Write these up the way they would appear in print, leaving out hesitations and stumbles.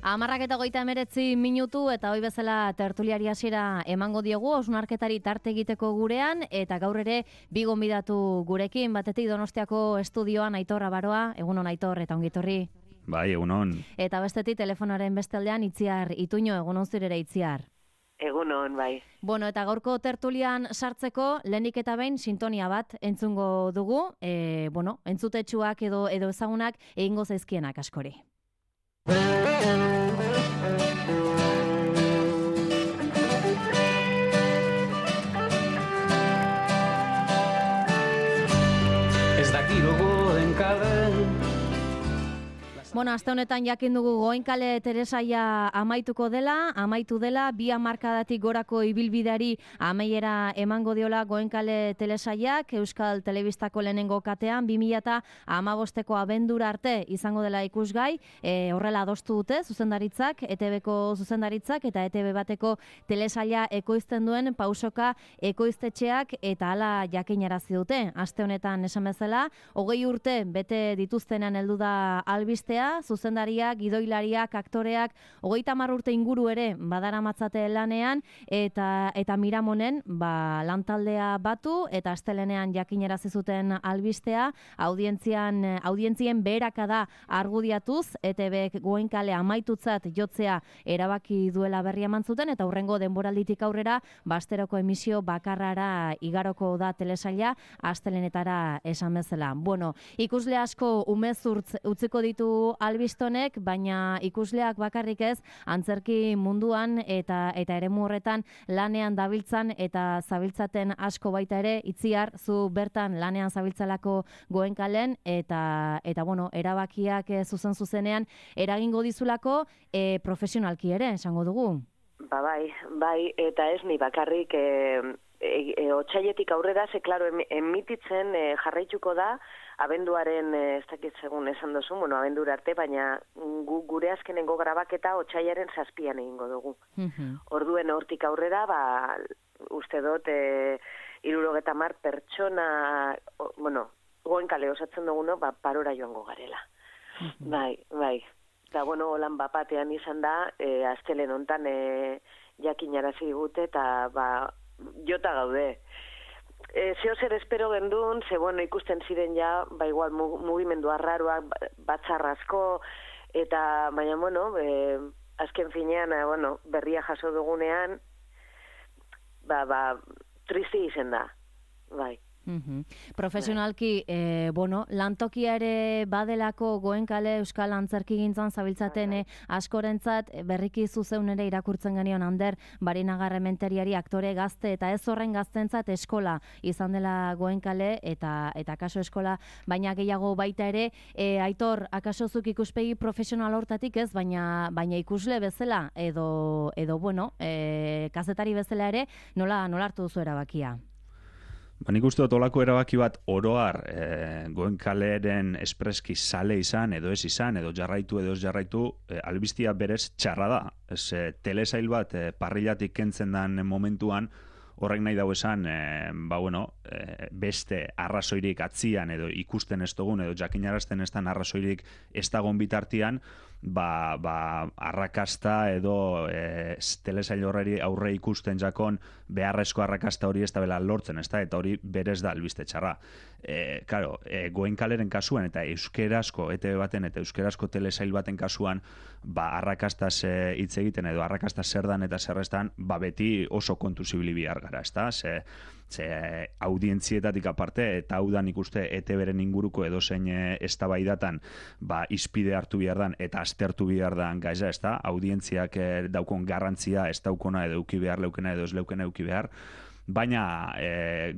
10:39 eta hoi bezala tertuliari hasiera emango diogu hausnarketari tarte egiteko gurean eta gaur ere bi gonbidatu gurekin, batetik Donostiako estudioan Aitor Abaroa, egunon Aitor eta ongitorri. Bai, egunon. Eta bestetik telefonaren beste aldean Itziar Ituño, egunon zurere Itziar. Egunon, bai. Bueno, eta gaurko tertulian sartzeko lehenik eta behin sintonia bat entzungo dugu, entzutetsuak edo ezagunak egingo zaizkienak askori. Ez daki gogoen kale. Bueno, aste honetan jakin dugu Goenkale Teresaia amaitu dela, 2 hamarkadatik gorako ibilbideari amaiera emango diola Goenkale Telesaiak, Euskal Telebistako lehenengo katean, 2015ko abendura arte izango dela ikusgai, horrela adostu dute zuzendaritzak, ETBko zuzendaritzak eta ETB bateko telesaia ekoizten duen Pausoka ekoiztetxeak eta hala jakinarazi dute. Aste honetan esan bezala, 20 urte bete dituztenan heldu da albistea, zuzendariak, gidoilariak, aktoreak, 30 urte inguru ere badaramatzate lanean eta Miramonen lantaldea batu eta astelenean jakinarazi zuten albistea, audientzien beherakada argudiatuz, ETBek Goenkale amaitutzat jotzea erabaki duela berri eman zuten eta hurrengo denboralditik aurrera asteroko emisio bakarrara igaroko da telesaila astelenetara esan bezala. Bueno, ikusle asko umezurtz utziko ditu albistonek, baina ikusleak bakarrik ez, antzerki munduan eta eremu horretan lanean dabiltzan eta zabiltzaten asko baita ere. Itziar, zu bertan lanean zabiltzalako Goenkalen eta erabakiak zuzenean eragingo dizulako profesionalki ere, esango dugu. Bai, eta ez ni bakarrik otsailetik aurrera, klaro, emititzen jarraituko da abenduaren, ez dakit segun esan duzu, abendura arte, baina gure azkenengo grabaketa otsailaren 7an egingo dugu. Orduen hortik aurrera, uste dut, 70 pertsona, Goenkale osatzen duguno, parora joango garela. Bai. Eta, holan bapatean izan da, astelen hontan jakinarazi digute, eta, jota gaude. Zeo zer espero gendun, ikusten ziren ja, igual mugimendu arraroak, batzarrazko, eta, baina, azken finean, berria jaso dugunean, tristi izen da, bai. Profesionalki, lantokia ere badelako Goenkale Euskal Antzerkigintzan zabiltzaten askorentzat, berriki zuzeun ere irakurtzen genion Ander Barinagarrementeriari, aktore gazte eta ez horren gaztentzat eskola izan dela Goenkale eta akaso eskola, baina gehiago baita ere, Aitor, akaso zuk ikuspegi profesional hortatik ez, baina ikusle bezala edo kazetari bezala ere, nola hartu duzu erabakia? Nik uste dut olako erabaki bat oroar Goenkaleren espreski sale izan, edo ez izan, edo jarraitu, edo ez jarraitu, albistia berez txarra da. Telesail bat parrillatik kentzen den momentuan, horrek nahi dau esan, beste arrazoirik atzian, edo ikusten ez dugun, edo jakinarazten ez den arrazoirik ez dagon bitartian, arrakasta edo telesail horreri aurre ikusten jakon beharrezko arrakasta hori ez da bela lortzen, eta hori berez da albiste txarra. Goenkaleren kasuan eta euskerazko ETB baten eta euskerazko telesail baten kasuan arrakastaz hitz egiten edo arrakastaz zer dan eta zerreztan beti oso kontu zibili bihar gara, ezta? Ze audientzietatik aparte, eta hau da nik uste ETB-ren inguruko edozein eztabaidatan izpide hartu behar dan eta aztertu behar dan gaiza, ez da? Audientziak daukon garrantzia ez daukona edo euki behar leukena edo ez leukena euki behar. Baina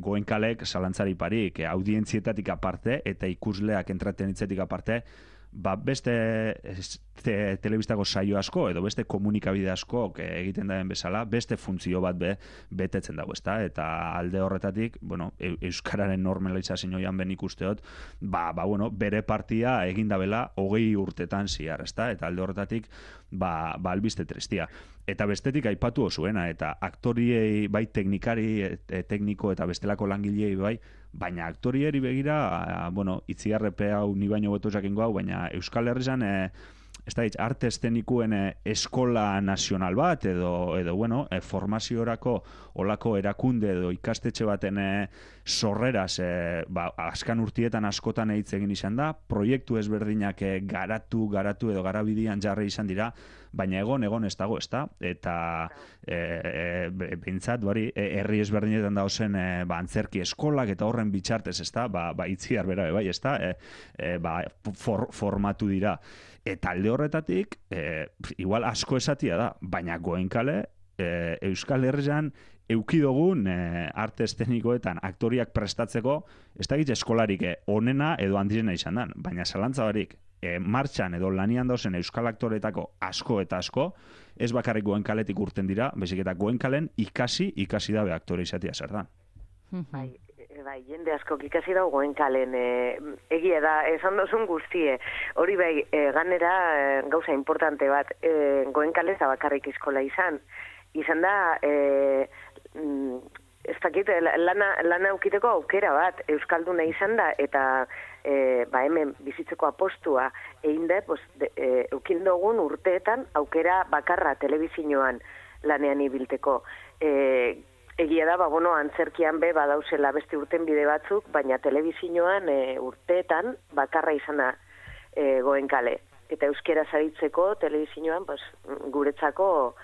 Goenkalek zalantzari parik audientzietatik aparte eta ikusleak entretenitzetik aparte, beste telebistako saio asko edo beste komunikabide asko egiten daren bezala, beste funtzio bat betetzen dago, ezta? Eta alde horretatik, euskararen normalizazioan ben ikusteot, bere partia egin dabela 20 urtetan ziar, ezta? Eta alde horretatik, albiste tristia. Eta bestetik aipatu osuena, eta aktoriei bai teknikari, tekniko eta bestelako langilei bai, baina aktorieri begira, itziarrepe hau ni baino beto jakingo hau, baina Euskal Herrizan ez da, arte esztenikuen eskola nazional bat, edo bueno, formaziorako olako erakunde edo ikastetxe baten sorreraz, askan urtietan askotan hitz egin izan da, proiektu ezberdinak garatu edo garabidian jarri izan dira, baina egon ez dago, ez da? Eta behintzat, herri ezberdinetan dauzen antzerki eskolak eta horren bitxartez, ez da? Itziar bera, bai, ez da? Formatu dira. Eta alde horretatik, igual asko esatia da, baina Goenkale, Euskal Herrian eukidogun arte eszenikoetan aktoriak prestatzeko, ez da gitz eskolarik onena edo handirena izan dan, baina zalantza barik, martxan edo lanian dauzen euskal aktoretako asko eta asko, ez bakarrik Goenkaletik urten dira, bezik eta Goenkalen ikasi dabe aktore izatea zer da. Bai, jende asko ikasi dago Goenkalen, egia da, esan dozun guztie. Hori bai, ganera gauza importante bat, Goenkale ez da bakarrik eskola izan da, ez dakit, lana aukiteko aukera bat, euskalduna izan da, eta hemen bizitzeko apostua egin da, eukin dugun urteetan aukera bakarra telebizinoan lanean ibilteko. Egia da, antzerkian badauzela beste urten bide batzuk, baina telebizinoan urteetan bakarra izana Goenkale. Eta euskera zaritzeko telebizinoan guretzako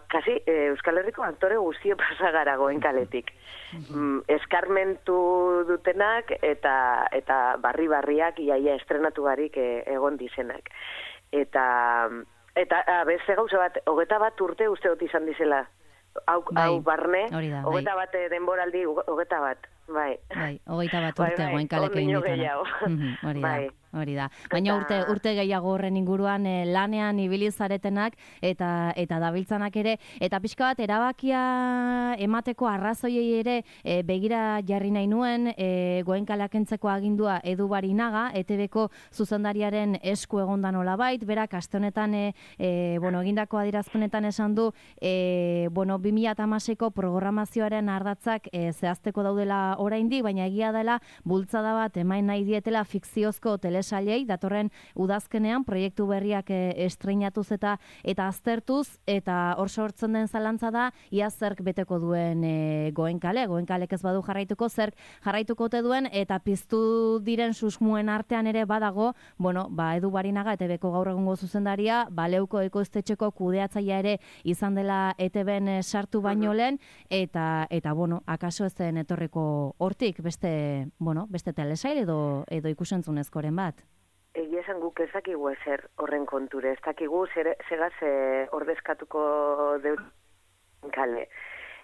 kasi Euskal Herriko aktore guztio pasagara Goenkaletik. Eskarmentu dutenak eta barriak iaia estrenatu barik egon dizenak. Eta beste gauza bat, 21 urte uste dut izan dizela. Hau barne, 21 denboraldi, 21, bai. Bai, 21 urte Goenkalek egin ditana. Hori da. Baina urte gehiago horren inguruan lanean ibili zaretenak eta dabiltzanak ere, eta pixka bat erabakia emateko arrazoiei ere begira jarri nahi nuen, Goenkaleak kentzeko agindua Edu Barinaga, ETB-ko zuzendariaren esku egondan olabait, berak aste honetan egindako adierazpenetan esan du 2016ko programazioaren ardatzak zehazteko daudela oraindik, baina egia dela bultzada bat emain nahi dietela fikziozko telesailei datorren udazkenean proiektu berriak estreinatuz eta aztertuz, eta hor sortzen den zalantza da ia zerk beteko duen Goenkalek ez badu jarraituko, zerk jarraituko ote duen, eta piztu diren susmuen artean ere badago, Edu Barinaga ETB-ko gaur egungo zuzendaria, Leuko ekoiztetxeko kudeatzailea ere izan dela ETB-en sartu baino lehen, eta akaso ez zen etorriko hortik beste telesail edo ikusentzunezkoren bat. Egia esan guk ez dakigu ezer horren konture, ez dakigu segaz ordezkatuko Goenkale.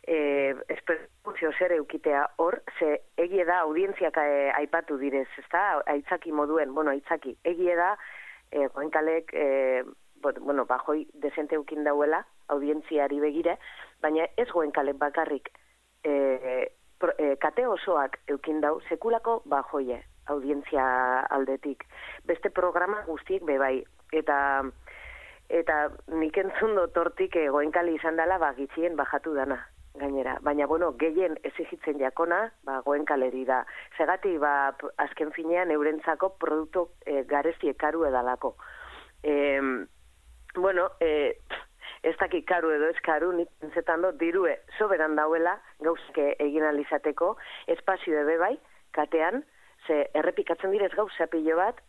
Esperuzio zer eukitea hor, ze egia da audientziak aipatu direz, ez da, aitzaki moduen, aitzaki, egia da Goenkalek, bajoi desente eukin dauela, audientziari begire, baina ez Goenkalek bakarrik, kate osoak eukin dau, sekulako bajoie audientzia aldetik. Beste programa guztiek bebai. Eta nik entzun dotortik Goenkale izan dela gitxien bajatu dana, gainera. Baina, gehien exigitzen jakona, Goenkaleri da. Segati, azken finean eurentzako produktu garesti karu edalako. Ez dakik karu edo ez karu, nik pentsetan dut dirue soberan dauela gauzke egin alizateko, espazio ebe bai, katean, ze errepikatzen direz gauza pilo bat,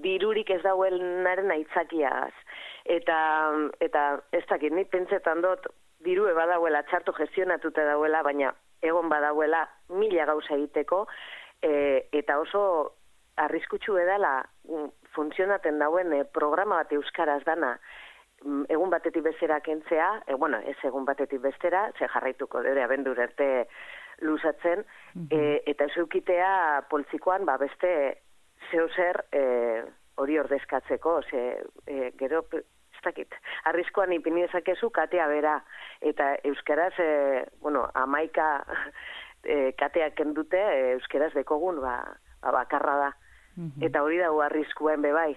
dirurik ez dauelnaren aitzakiagaz. Eta ez dakit, nik pentsetan dut dirue badauela, txarto gestionatuta dauela, baina egon badauela 1000 gauza egiteko, eta oso arriskutsu edala funtzionaten dauen programa bat euskaraz dana, egun batetik bestera kentzea, ez egun batetik bestera, ze jarraituko dure abendur arte luzatzen, eta ez eukitea poltsikoan beste zeuzer hori ordezkatzeko, gero, ez dakit, arriskoan ipini dezakezu katea bera, eta euskaraz, 11 kateak kendute, euskaraz dekogun bakarra da. Eta hori dago arriskuen bebai.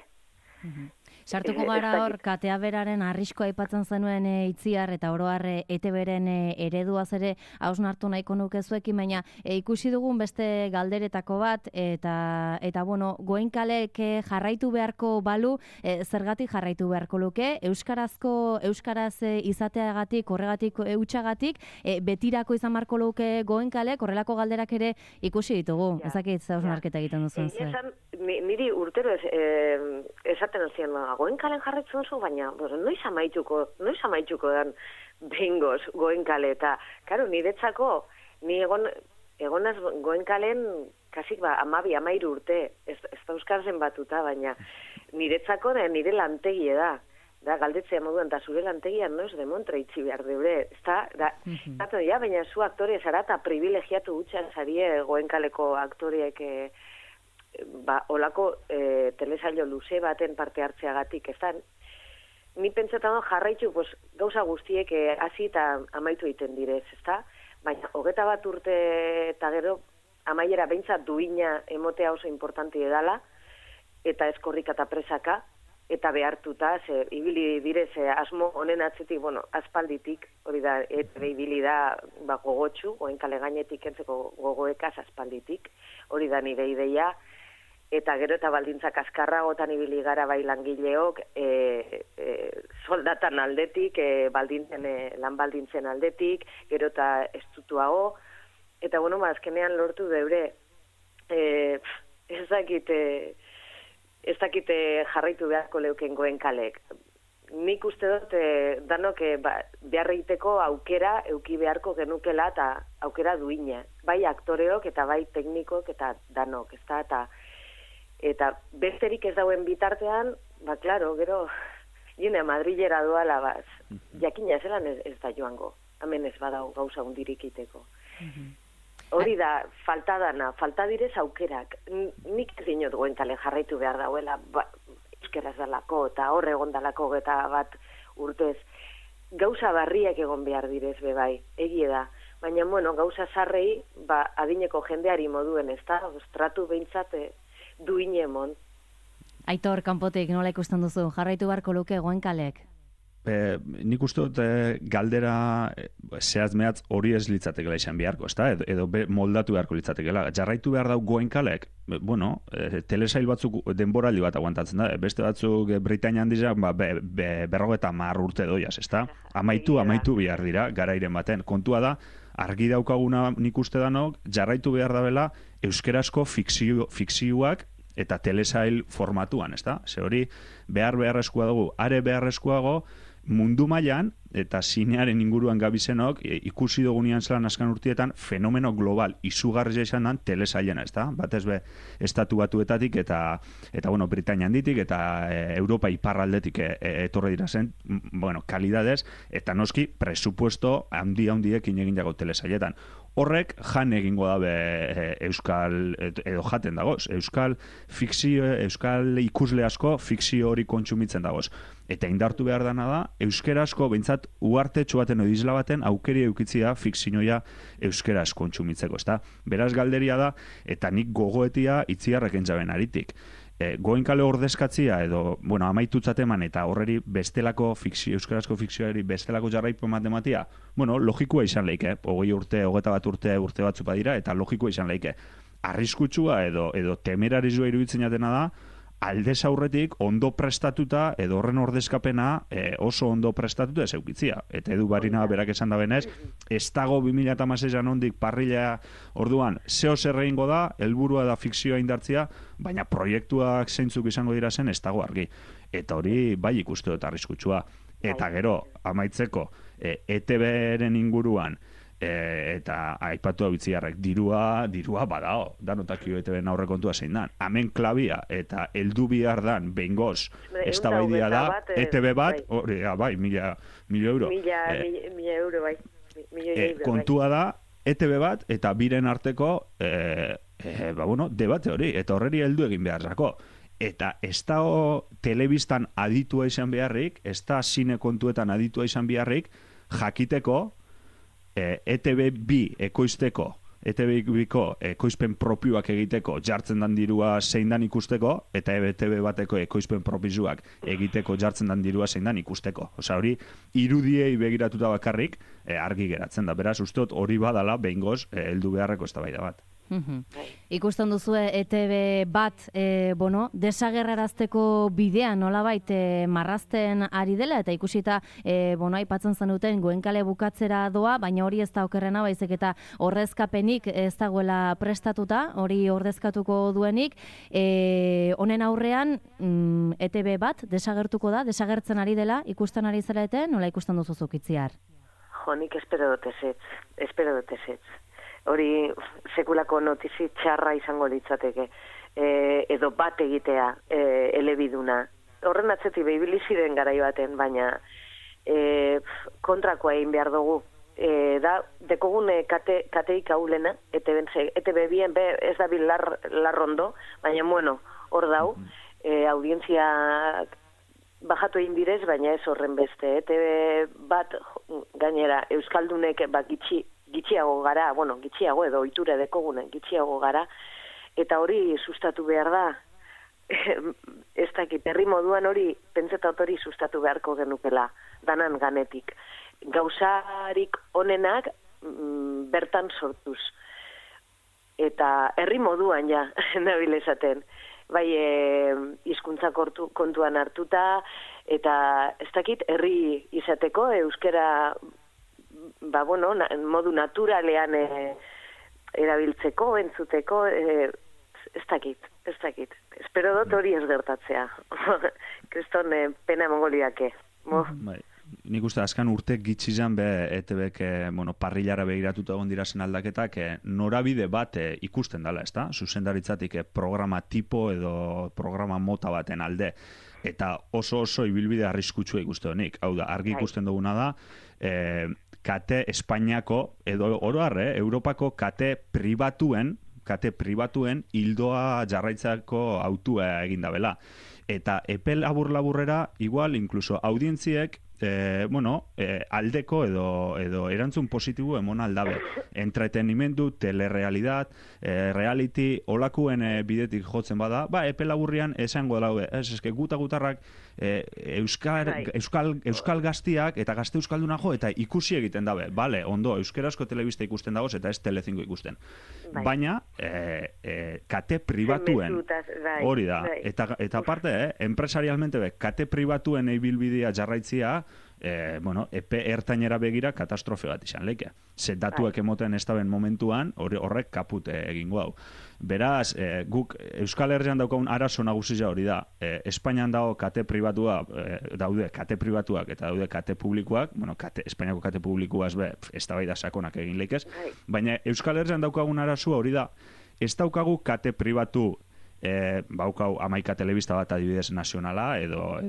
Sartuko gara hor, katea beraren arriskoa aipatzen zenuen Itziar eta oroar ETB-ren ereduaz ere hausnartu nahiko nuke zuekin, baina ikusi dugun beste galderetako bat, eta bueno, Goenkalek jarraitu beharko balu, zergatik jarraitu beharko luke, euskaraz izateagatik, horregatik hutsagatik, betirako izan beharko luke Goenkalek, horrelako galderak ere ikusi ditugu. Ezakit hausnarketa egiten duzuen zer. Niri urtero esaten zian Goenkalen jarretzen zu, baina noiz amaituko dan behingoz Goenkale, eta karo, niretzako ni egonaz Goenkalen kasik 12-13 urte, ez da euskarzen batuta, baina niretzako da nire lantegie da galdetzea moduan, eta zure lantegian noiz demontra itxi behar deure, baina zu aktore zara eta privilegiatu gutxan zarie Goenkaleko aktoreek olako telesailo luze baten parte hartzeagatik, ez da, ni pentsetan jarraitu gauza guztiek hasi eta amaitu egiten direz, ez da, baina 21 urte eta gero amaiera behintzat duina emotea oso importanti edala, eta eskorrika eta presaka, eta behartuta, ibili direz asmo honen atzetik, aspalditik, hori da, ibili da gogotxu, Goenkale gainetik entzeko gogoekaz aspalditik, hori da nire ideia, eta gero eta baldintzak azkarragotan ibili gara bai langileok, soldatan aldetik, lan baldintzen aldetik, gero eta estutuago, eta azkenean lortu deure, ez dakite jarraitu beharko leuken Goenkalek. Nik uste dut danok behar egiteko aukera euki beharko genukela eta aukera duina. Bai aktoreok eta bai teknikok eta danok, ez da, eta besterik ez dauen bitartean, klaro, gero, jene Madrilera doala, jakina zelan ez da joango. Hemen ez badau gauza hundirik iteko. Hori da, falta direz aukerak. Nik ez dinot Goenkale jarraitu behar dauela, euskeraz dalako, eta horre egon dalako eta bat urtez. Gauza barriak egon behar direz bebai, egie da. Baina, gauza zarrei, adineko jendeari moduen, ez da, tratu behintzat duine emon. Aitor, kanpotik, nola ikusten duzu? Jarraitu beharko luke Goenkalek? Nik uste dut galdera zehaz-mehatz hori ez litzatekela izan beharko, ezta? Edo moldatu beharko litzatekela. Jarraitu behar dau Goenkalek, telesail batzuk denboraldi bat aguantatzen da, beste batzuk Britainian dizak, 50 urte doiaz, ezta? Amaitu behar dira, garairen baten. Kontua da, argi daukaguna nik uste danok, jarraitu behar dabela euskerazko fikzioak eta telesail formatuan, ezta? Ze hori beharrezkoa dugu, are beharrezkoago mundu mailan eta zinearen inguruan gabizenok ikusi dugunean zelan azken urtietan fenomeno global izugarria izan dan telesailena, ezta? Batez be estatu batuetatik eta Britainia handitik eta Europa iparraldetik etorri dira zen, kalidadez eta noski presupuesto handiekin egin dago telesailetan. Horrek jan egingo dabe euskal, edo jaten dagoz, euskal ikusle asko fikzio hori kontsumitzen dagoz. Eta indartu behar dana da, euskerazko, behintzat, uartetxo baten edo isla baten aukeri eukitzia fikzioia euskeraz kontsumitzeko, ezta? Beraz galderia da, eta nik gogoetia Itziarrek entzaben aritik. Goenkale ordezkatzia edo, amaitutzat eman eta horreri bestelako euskarazko fikzioari bestelako jarraipu matematia, logikoa izan leike, 20 urte, 21 urte batzu badira, eta logikoa izan leike. Arriskutsua edo temerarizua iruditzen jatena da, aldez aurretik ondo prestatuta edo horren ordezkapena oso ondo prestatuta ez eukitzia. Eta Edu Barina berak esan da benez, ez dago 2016an ondik parrila orduan, zeo zer egingo da, helburua da fikzioa indartzia, baina proiektuak zeintzuk izango dira zen ez dago argi. Eta hori bai ikustu dut arriskutsua. Eta gero, amaitzeko, ETB-ren inguruan, eta aipatu hau Itziarrek, dirua badao, danotakio ETB-en aurrekontua zein dan. Hemen klabia eta heldu bihar dan behingoz eztabaidia da, ETB bat, bai, 1.000 euro. 1.000 euro, bai. Kontua da, ETB bat eta biren arteko debate hori, eta horreri heldu egin behar zako. Eta ez da telebistan aditua izan beharrik, ez da zine kontuetan aditua izan beharrik, jakiteko ETB bi ekoizteko ETV-biko ekoizpen propioak egiteko jartzen dan dirua zein dan ikusteko, eta ETV bateko ekoizpen propioak egiteko jartzen dan dirua zein dan ikusteko. Osa hori, irudiei begiratuta bakarrik argi geratzen da. Beraz, usteot hori badala behingoz heldu beharreko eztabaida bat. Ikusten duzue ETV bat desagerrarazteko bidea nolabait marrazten ari dela, eta ikusita aipatzen zenuten Goenkale bukatzera doa, baina hori ez da okerrena, baizik eta ordezkapenik ez dagoela prestatuta, hori ordezkatuko duenik. Honen aurrean ETV bat desagertuko da, desagertzen ari dela, ikusten ari zarete, nola ikusten duzu zuk Itziar? Nik espero dut ezetz. Hori sekulako notizi txarra izango litzateke, edo bat egitea elebiduna. Horren atzetik behibili ziren garai baten, baina kontrakoa egin behar dugu. Dekogun kateik haulena, ETB bien ez da bil larrondo, baina hor dau, audientzia bajatu egin direz, baina ez horren beste. ETB bat gainera Euskaldunek gitxiago gara, gitxiago edo ohitura dekogunen gitxiago gara, eta hori sustatu behar da, ez dakit, herri moduan hori, pentsetat hori sustatu beharko genukela, danan ganetik. Gauzarik onenak bertan sortuz. Eta herri moduan ja, nabil esaten, bai hizkuntza kontuan hartuta, eta ez dakit, herri izateko, euskera modu naturalean erabiltzeko, entzuteko, ez dakit. Espero dut hori ez gertatzea. Kriston pena mongoliake. Nik uste azkan urte gitxizan ETB-ek parrillara begiratuta egon dirazen aldaketak norabide bat ikusten dela, ezta? Zuzendaritzatik programa tipo edo programa mota baten alde. Eta oso ibilbide arriskutsua ikuste honik. Hau da, argi ikusten duguna da, kate Espainiako, edo oroarre, Europako kate pribatuen hildoa jarraitzako autua eginda bela. Eta epe labur-laburrera, igual, inkluso audientziek, aldeko edo erantzun positibo emon aldabe. Entretenimendu, telerealidad, reality, olakuen bidetik jotzen bada, epe laburrian esango daude. Eske gutarrak euskal gaztiak eta gazte euskalduna jo eta ikusi egiten dabe. Bale, ondo, euskarazko telebista ikusten dagoz eta ez Telecinco ikusten. Baina, kate pribatuen, hori da. Eta aparte, empresarialmente kate pribatuen ibilbidea jarraitzia, epe ertainera begira katastrofe bat izan leike. Datuak emoten ez daben momentuan, horrek kaput egingo hau. Beraz, guk Euskal Herrian daukagun arazo nagusia hori da. Espainian dago kate pribatua, daude kate pribatuak eta daude kate publikoak, Espainiako kate publikoaz ez da bai da sakonak egin leikez, baina Euskal Herrian daukagun arazoa hori da, ez daukagu kate pribatu baukau 11 telebista bat adibidez nazionala edo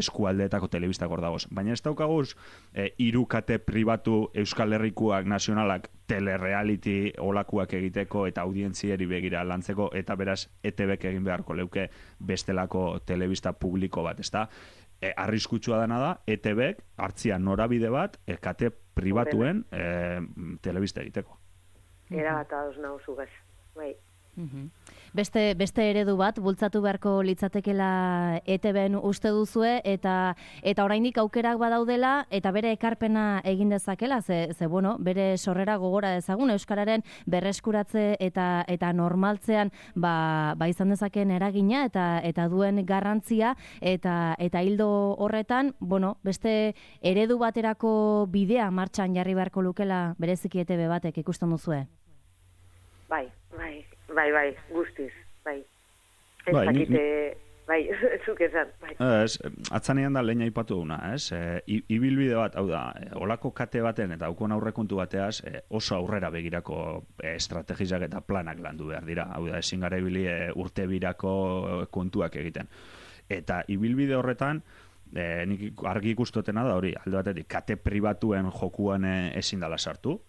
eskualdeetako telebistak hor dagoz. Baina ez daukaguz 3 kate pribatu Euskal Herrikoak nazionalak telereality olakuak egiteko eta audientzieri begira lantzeko eta beraz ETB-ek egin beharko leuke bestelako telebista publiko bat, ezta? Arriskutsua dena da, ETB-ek hartzia norabide bat kate pribatuen telebista egiteko. Era bat ados nauzu bez, bai. Beste eredu bat bultzatu beharko litzatekela ETB-en uste duzue eta oraindik aukerak badaudela eta bere ekarpena egin dezakela, ze bere sorrera gogora dezagun euskararen berreskuratze eta normaltzean izan dezaken eragina eta duen garrantzia eta hildo horretan, beste eredu baterako bidea martxan jarri beharko lukela bereziki ETB batek ikusten duzue. Bai, guztiz, bai. Ez dakite, zuk esan, bai. Atzanean da lehen aipatu duna, ez? Ibilbide bat, hau da, olako kate baten eta haukon aurrekontu bateaz oso aurrera begirako estrategizak eta planak landu behar dira. Hau da, ezin gara ibili urte birako kontuak egiten. Eta ibilbide horretan, nik argi ikustotena da hori, alde batetik, kate pribatuen jokuan ezin dala sartu,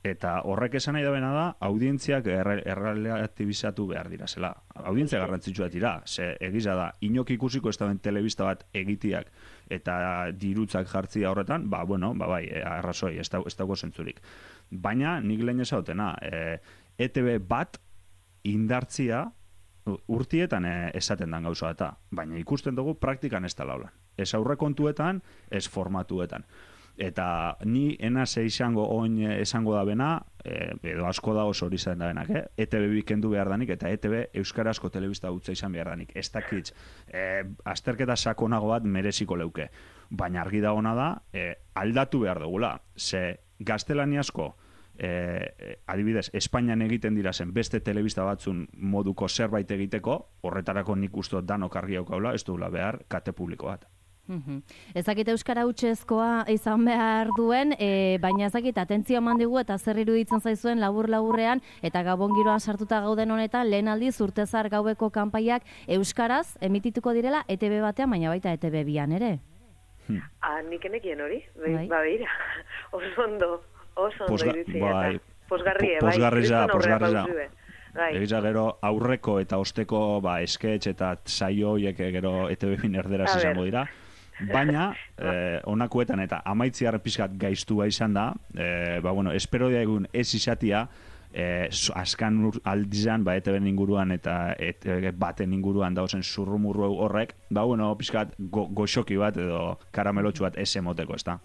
eta horrek esan nahi dabena da, audientziak errelatibizatu behar dira, zela. Audientzia garrantzitsua dira, ze egiza da, inok ikusiko ez daben telebista bat egitiak eta dirutzak jartzia horretan, arrazoi, ez dago zentzurik. Baina, nik lehen ezautena, ETB bat indartzia urtietan esaten dan gauza eta, baina ikusten dugu praktikan ez da laulan. Ez aurrekontuetan, ez formatuetan. Eta ni enaz izango oin esango da bena, edo asko da oso hori zaten da benak, ETB bikendu behar danik, eta ETB euskarazko telebista utza izan behar danik. Ez dakitz, azterketa sakonago bat mereziko leuke. Baina argi dagona da, aldatu behar dugula. Ze gaztelaniazko, adibidez, Espainian egiten dira zen beste telebista batzun moduko zerbait egiteko, horretarako nik uste danok argi haukaula, ez dugula behar kate publiko bat. Ezakit euskara hutsezkoa izan behar duen, baina ezakit atentzio eman digu eta zer iruditzen zaizuen labur-laburrean eta Gabon giroan sartuta gauden honetan lehen aldiz urtezar gaueko kanpaiak euskaraz emitituko direla ETB batean, baina baita ETB bian ere. Nik enekien hori, ba beira, oso ondo iruditzen. Posgarriza. Egiza gero aurreko eta osteko sketch eta saio horiek gero ETB bin erderaz izango dira. Baina, onakuetan eta amaitziar pizkat gaiztua izan da, espero da egun ez izatia, askan aldizan, ETB inguruan eta ETB baten inguruan dauzen zurrumurru horrek, pizkat goxoki bat edo karamelotxu bat ez emoteko, ez da.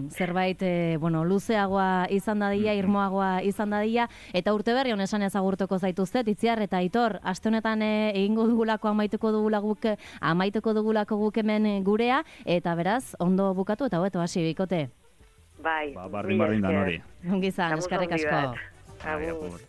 Zerbait, luzeagoa izan dadila, irmoagoa izan dadila, eta urte berri honesan ezagurtuko zaituztet, Itziar eta Aitor, aste honetan egingo dugulako amaituko dugulako guk hemen gurea, eta beraz, ondo bukatu eta hobeto hasi bikote. Bai. Bardin da nori. Ongizan, eskerrik asko. Agur.